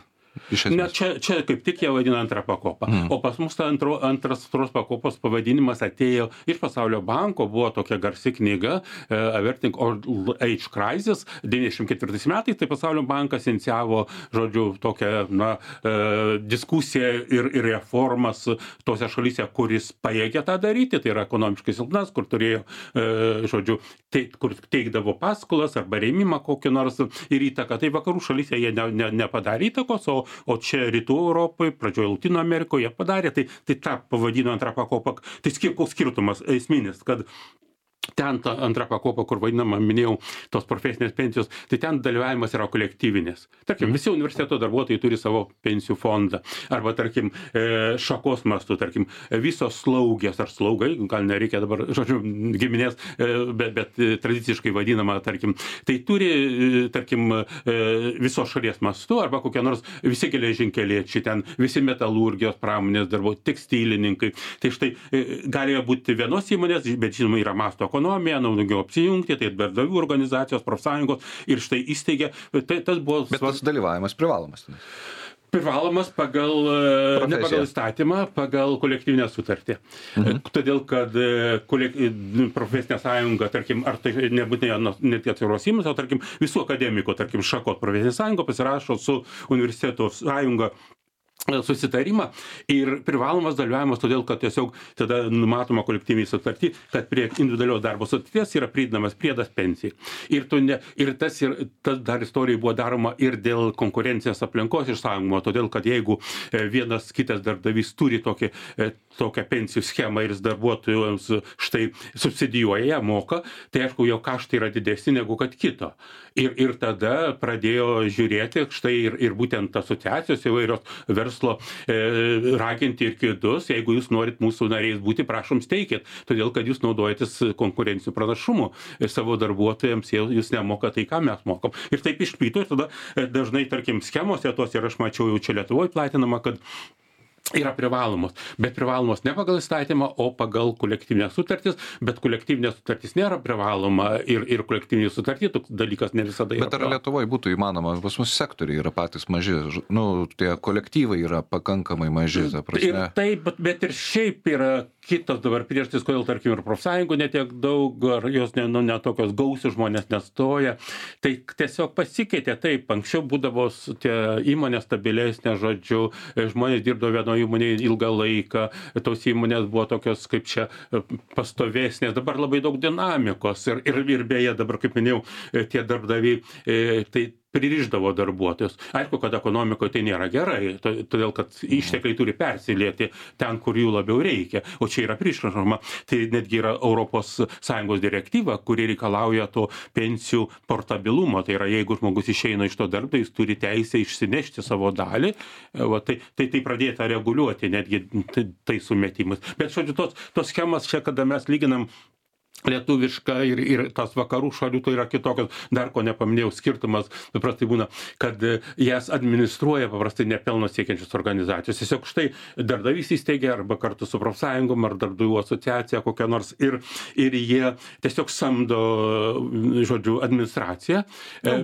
Ne, čia, čia kaip tik jie vadina antrą pakopą. Mm. O pas mus ta antro, antras antros pakopos pavadinimas atėjo iš Pasaulio banko, buvo tokia garsi knyga uh, Averting Old Age Crisis, devyniasdešimt ketvirtais metais, tai Pasaulio bankas inicijavo, žodžiu, tokią na, uh, diskusiją ir, ir reformas tose šalyse, kuris pajėgė tą daryti, tai yra ekonomiškai silpnas, kur turėjo, uh, žodžiu, te, kur teikdavo paskolas arba rėmimą kokį nors ir įtaką. Tai vakarų šalyse jie ne, ne, nepadarė įtakos, o O čia rytų Europoje, pradžioje Latino Amerikoje padarė, tai, tai tą pavadino antrą pakopą. Tai koks skirtumas esminis, kad ten ta antra pakopa, kur vadinama, minėjau, tos profesinės pensijos, tai ten dalyvavimas yra kolektyvinės. Tarkim, visi universiteto darbuotojai turi savo pensijų fondą. Arba, tarkim, šakos mastu, tarkim, visos slaugės ar slaugai, gal nereikia dabar, žodžiu, giminės, bet, bet tradiciškai vadinama, tarkim, tai turi, tarkim, visos šalies mastu, arba kokie nors visi geležinkeliečiai, ten visi metalurgijos pramonės darbuotojai, tekstilininkai. Tai štai galėjo būti vienos įmonės, bet žinoma, yra masto ekonomija, naudingiau apsijungti, tai darbdavių organizacijos, profsąjungos ir štai įsteigė, tai tas buvo... Bet tas dalyvavimas privalomas. Privalomas pagal, ne pagal įstatymą, pagal kolektyvinę sutartį. Mhm. Todėl, kad kolek... profesinė sąjunga, tarkim, ar tai nebūtinai net atviros įmonės, o tarkim visų akademikų, tarkim, šakos profesinė sąjunga pasirašo su universiteto sąjunga susitarimą ir privalomas dalyvavimas, todėl, kad tiesiog tada numatoma kolektyvinė sutartį, kad prie individualios darbo sutarties yra pridedamas priedas pensijai. Ir, ne, ir tas, ir tas dar istorijai buvo daroma ir dėl konkurencijos aplinkos išsaugomo, todėl, kad jeigu vienas kitas darbdavys turi tokį, tokią pensijų schemą ir jis darbuotojams štai subsidijuoja, ją moka, tai aišku, jo kaštai yra didesni negu kad kito. Ir, ir tada pradėjo žiūrėti štai ir, ir būtent asociacijos įvairios verslo e, raginti ir kitus, jeigu jūs norit mūsų nariais būti, prašom steikit, todėl kad jūs naudojatės konkurencijų pranašumu savo darbuotojams, jūs nemoka tai, ką mes mokam. Ir taip išplyto ir tada dažnai, tarkim, schemose tos ir aš mačiau jau čia Lietuvoje platinama, kad yra privalomos, bet privalomos ne pagal įstatymą, o pagal kolektyvinės sutartis, bet kolektyvinės sutartis nėra privaloma ir, ir kolektyvinės sutartį toks dalykas ne visada yra. Bet ar Lietuvoje būtų įmanoma, pas mus sektoriai yra patys maži, nu, tie kolektyvai yra pakankamai maži, ta prasme. Ir taip, bet, bet ir šiaip yra kitos dabar priežastys, kodėl, tarkim, ir profsąjungų netiek daug, ar jos ne, nu, ne tokios gausios žmonės nestoja, tai tiesiog pasikeitė taip, anksčiau būdavo tie įmonės stabilesnė, žodžiu, žmonės dirbdavo vienoje įmonėje ilgą laiką, tos įmonės buvo tokios kaip čia pastovesnės, dabar labai daug dinamikos ir, ir, ir beje dabar, kaip minėjau, tie darbdaviai, tai pririšdavo darbuotojus. Aišku, kad ekonomikoje tai nėra gerai, todėl, kad ištekliai turi persilieti ten, kur jų labiau reikia, o čia yra priešrašoma. Tai netgi yra Europos Sąjungos direktyva, kuri reikalauja to pensijų portabilumo. Tai yra, jeigu žmogus išeina iš to darbdavio, jis turi teisę išsinešti savo dalį, va, tai, tai, tai pradėta reguliuoti netgi tai sumetimais. Bet, žodžiu, tos, tos schemas čia, kada mes lyginam lietuviška ir, ir tas vakarų šalių, tai yra kitokios, dar ko nepaminėjau, skirtumas paprastai būna, kad jas administruoja paprastai nepelno siekiančios organizacijos. Tiesiog štai darbdavys įsteigia arba kartu su profsąjungom ar darbdavių asociacija kokia nors ir, ir jie tiesiog samdo, žodžiu, administraciją.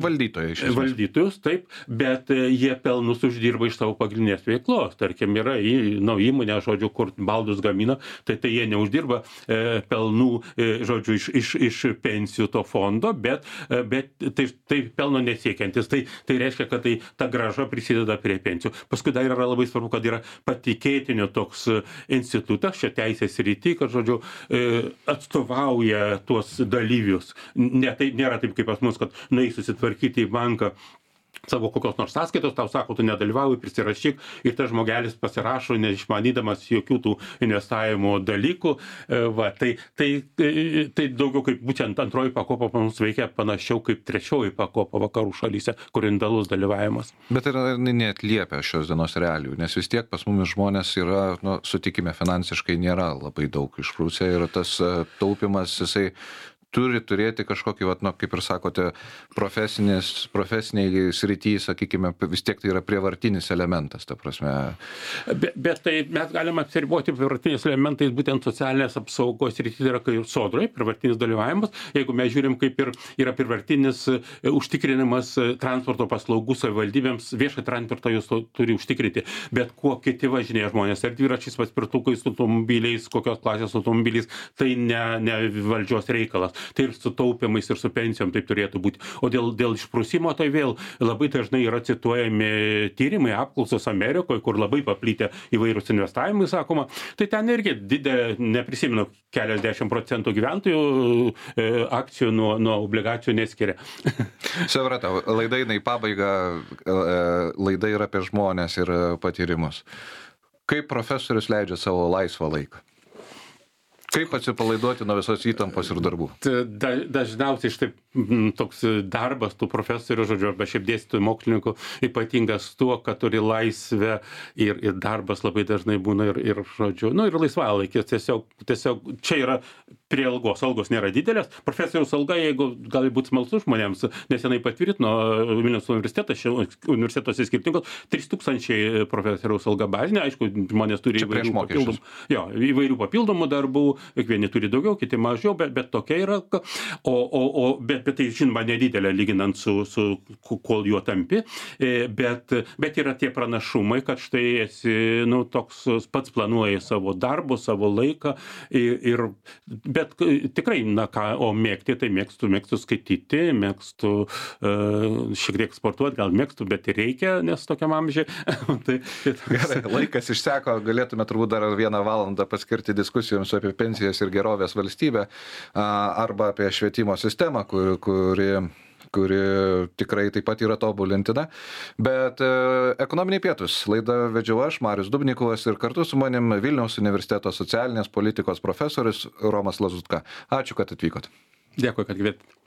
Valdytojai iš esmės. Valdytojus, taip, bet jie pelnus uždirba iš savo pagrindinės veiklos. Tarkim, yra į, nu, įmonė, žodžiu, kur baldus gamina, tai, tai jie neuždirba e, pelnų e, žodžiu, iš, iš, iš pensijų to fondo, bet, bet tai, tai pelno nesiekiantis. Tai, tai reiškia, kad tai, ta grąža prisideda prie pensijų. Paskui dar yra labai svarbu, kad yra patikėtinio toks institutas, čia teisės rytį, kad, žodžiu, atstovauja tuos dalyvius. Ne, tai nėra taip kaip pas mus, kad nueis susitvarkyti į banką savo kokios nors sąskaitos, tau sako, tu nedalyvauji, prisirašyk ir tas žmogelis pasirašo, neišmanydamas jokių tų investavimo dalykų. Va, tai, tai, tai daugiau kaip būtent antroji pakopa mums veikia panašiau kaip trečioji pakopa vakarų šalyse, kur indalus dalyvavimas. Bet ir neatliepia šios dienos realijų, nes vis tiek pas mumis žmonės yra, nu, sutikime, finansiškai nėra labai daug išprūsę ir tas taupimas, jisai turi turėti kažkokį, vat, nu, kaip ir sakote, profesiniai srity, sakykime, vis tiek tai yra prievartinis elementas, ta prasme. Bet, bet tai mes galime apsiriboti prievartiniais elementais, būtent socialinės apsaugos srity, tai yra kaip sodrai, prievartinis dalyvavimas. Jeigu mes žiūrim, kaip ir yra prievartinis užtikrinimas transporto paslaugų savivaldybėms, viešą transportą jūs turi užtikrinti, bet kuo kiti važinėja žmonės, ar dviračiais, paspirtukais, automobiliais, kokios klasės automobiliais, tai ne, ne valdžios reikalas. Tai ir su taupimais, ir su pensijom taip turėtų būti. O dėl, dėl išprusimo, tai vėl labai dažnai yra cituojami tyrimai, apklausos Amerikoje, kur labai paplytę įvairūs investavimai, sakoma. Tai ten irgi didelė, neprisimenu, keliasdešimt procentų gyventojų e, akcijų nuo, nuo obligacijų neskiria. Supratau, laida eina į pabaigą, laida yra apie žmonės ir patyrimus. Kaip profesorius leidžia savo laisvą laiką? Kaip atsipalaiduoti nuo visos įtampos ir darbų? Da, dažniausiai štai toks darbas tų profesorių, žodžiu, arba šiaip dėstytojų mokslininkų ypatingas tuo, kad turi laisvę ir, ir darbas labai dažnai būna ir, ir žodžiu, nu ir laisvalaikis. Tiesiog, tiesiog čia yra prie algos. Algos nėra didelės. Profesoriaus alga, jeigu gali būti smalsu žmonėms, nesenai patvirtino Vilniaus universitetas, universitetuose skirtingos, trys tūkstančiai profesoriaus alga bazinė. Aišku, žmonės turi įvairių papildomų, jo, įvairių papildomų darbų, vieni turi daugiau, kiti mažiau, bet, bet tokia yra. O, o, o, bet, bet tai žinoma nedidelė lyginant su, su kol juo tampi, bet, bet yra tie pranašumai, kad štai esi, nu, toks pats planuoji savo darbų, savo laiką ir, ir bet tikrai, na ką, o mėgti, tai mėgstu, mėgstu skaityti, mėgstu uh, šiek tiek sportuoti, gal mėgstu, bet ir reikia, nes tokiam amžiai. tai, tai Gerai, laikas išseko, galėtume turbūt dar vieną valandą paskirti diskusijoms apie pensijas ir gerovės valstybę arba apie švietimo sistemą, kur, kuri, kuri tikrai taip pat yra tobulintina. Bet e, ekonominiai pietus laidą vedžiau aš, Marius Dubnikovas, ir kartu su manim Vilniaus universiteto socialinės politikos profesorius Romas Lazutka. Ačiū, kad atvykot. Dėkui, kad kviečiate.